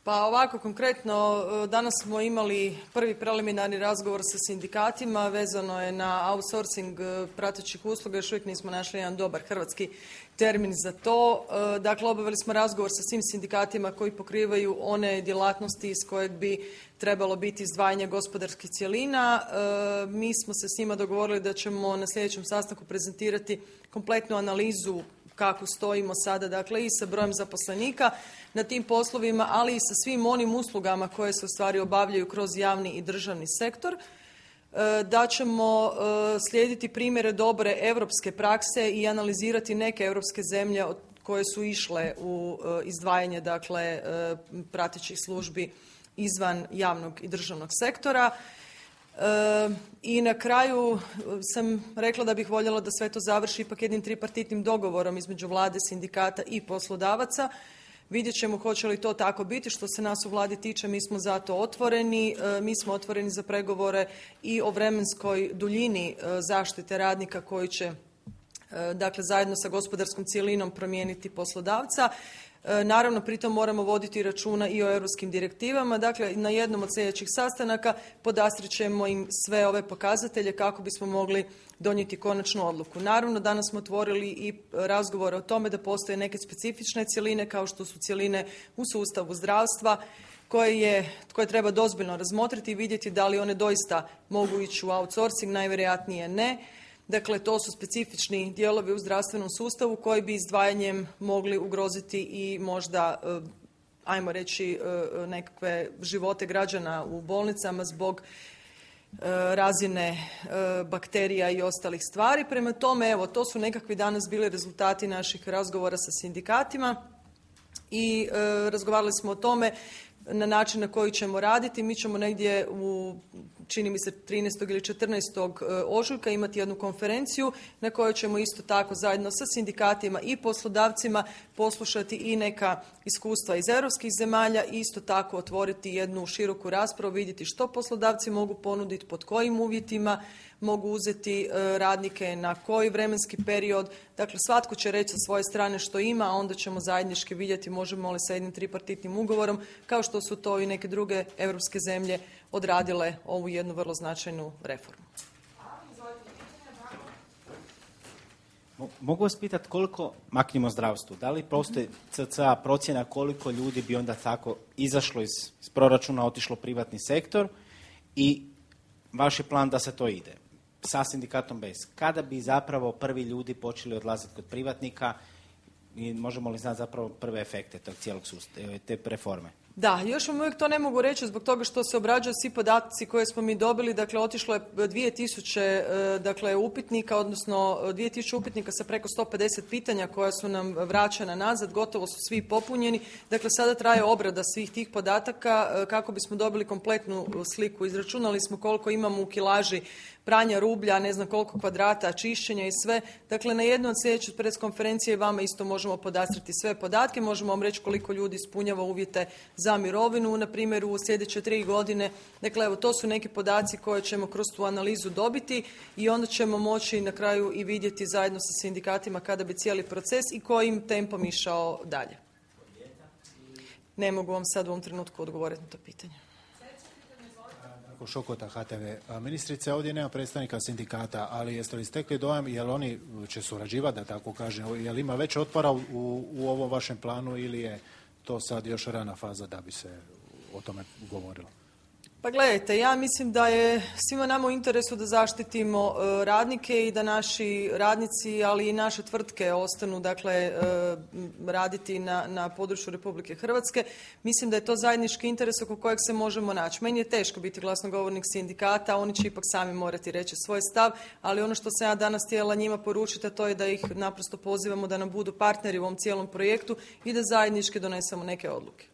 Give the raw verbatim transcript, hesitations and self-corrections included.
Pa ovako konkretno, danas smo imali prvi preliminarni razgovor sa sindikatima, vezano je na outsourcing pratećih usluga, još uvijek nismo našli jedan dobar hrvatski termin za to. Dakle, obavili smo razgovor sa svim sindikatima koji pokrivaju one djelatnosti iz kojeg bi trebalo biti izdvajanje gospodarskih cjelina. Mi smo se s njima dogovorili da ćemo na sljedećem sastanku prezentirati kompletnu analizu kako stojimo sada, dakle i sa brojem zaposlenika na tim poslovima, ali i sa svim onim uslugama koje se u stvari obavljaju kroz javni i državni sektor. Da ćemo slijediti primjere dobre europske prakse i analizirati neke europske zemlje koje su išle u izdvajanje, dakle, pratećih službi izvan javnog i državnog sektora. I na kraju sam rekla da bih voljela da sve to završi ipak jednim tripartitnim dogovorom između vlade, sindikata i poslodavaca. Vidjet ćemo hoće li to tako biti. Što se nas u vladi tiče, mi smo za to otvoreni. Mi smo otvoreni za pregovore i o vremenskoj duljini zaštite radnika koji će, dakle, zajedno sa gospodarskom cjelinom promijeniti poslodavca. Naravno, pritom moramo voditi računa i o europskim direktivama. Dakle, na jednom od sljedećih sastanaka podastrit ćemo im sve ove pokazatelje kako bismo mogli donijeti konačnu odluku. Naravno, danas smo otvorili i razgovore o tome da postoje neke specifične cjeline, kao što su cjeline u sustavu zdravstva, koje, je, koje treba dozbiljno razmotriti i vidjeti da li one doista mogu ići u outsourcing, najvjerojatnije ne. Dakle, to su specifični dijelovi u zdravstvenom sustavu koji bi izdvajanjem mogli ugroziti i možda, ajmo reći, nekakve živote građana u bolnicama zbog razine bakterija i ostalih stvari. Prema tome, evo, to su nekakvi danas bili rezultati naših razgovora sa sindikatima i razgovarali smo o tome na način na koji ćemo raditi. Mi ćemo negdje u, čini mi se, trinaestog ili četrnaestog ožujka imati jednu konferenciju na kojoj ćemo isto tako zajedno sa sindikatima i poslodavcima poslušati i neka iskustva iz europskih zemalja i isto tako otvoriti jednu široku raspravu, vidjeti što poslodavci mogu ponuditi, pod kojim uvjetima mogu uzeti radnike, na koji vremenski period. Dakle, svatko će reći sa svoje strane što ima, a onda ćemo zajednički vidjeti možemo li sa jednim tripartitnim ugovorom, kao što su to i neke druge europske zemlje odradile ovu jednu vrlo značajnu reformu. Mogu vas pitati koliko, maknimo zdravstvu, da li postoji C C A procjena koliko ljudi bi onda tako izašlo iz, iz proračuna, otišlo u privatni sektor i vaš je plan da se to ide? Sa sindikatom bez. Kada bi zapravo prvi ljudi počeli odlaziti kod privatnika i možemo li znati zapravo prve efekte tog cijelog sustava, te reforme? Da, još vam uvijek to ne mogu reći zbog toga što se obrađuju svi podaci koje smo mi dobili. Dakle, otišlo je dvije tisuće dakle, upitnika, odnosno dvije tisuće upitnika sa preko sto pedeset pitanja koja su nam vraćena nazad, gotovo su svi popunjeni. Dakle, sada traje obrada svih tih podataka kako bismo dobili kompletnu sliku. Izračunali smo koliko imamo u kilaži pranja rublja, ne znam koliko kvadrata, čišćenja i sve. Dakle, na jednoj od sljedećih preskonferencije vama isto možemo podastriti sve podatke. Možemo vam reći koliko ljudi ispunjava uvjete za mirovinu, na primjer, u sljedeće tri godine. Dakle, evo, to su neki podaci koje ćemo kroz tu analizu dobiti i onda ćemo moći na kraju i vidjeti zajedno sa sindikatima kada bi cijeli proces i kojim tempom išao dalje. Ne mogu vam sad u ovom trenutku odgovoriti na to pitanje. Šokota, H T V. Ministrice, ovdje nema predstavnika sindikata, ali jeste li stekli dojam, jel oni će surađivati, da tako kažem, jel ima već otpora u, u ovom vašem planu ili je to sad još rana faza da bi se o tome govorilo? Pa gledajte, ja mislim da je svima nama u interesu da zaštitimo radnike i da naši radnici, ali i naše tvrtke ostanu, dakle, raditi na, na području Republike Hrvatske. Mislim da je to zajednički interes oko kojeg se možemo naći. Meni je teško biti glasnogovornik sindikata, oni će ipak sami morati reći svoj stav, ali ono što sam ja danas htjela njima poručiti, a to je da ih naprosto pozivamo da nam budu partneri u ovom cijelom projektu i da zajednički donesemo neke odluke.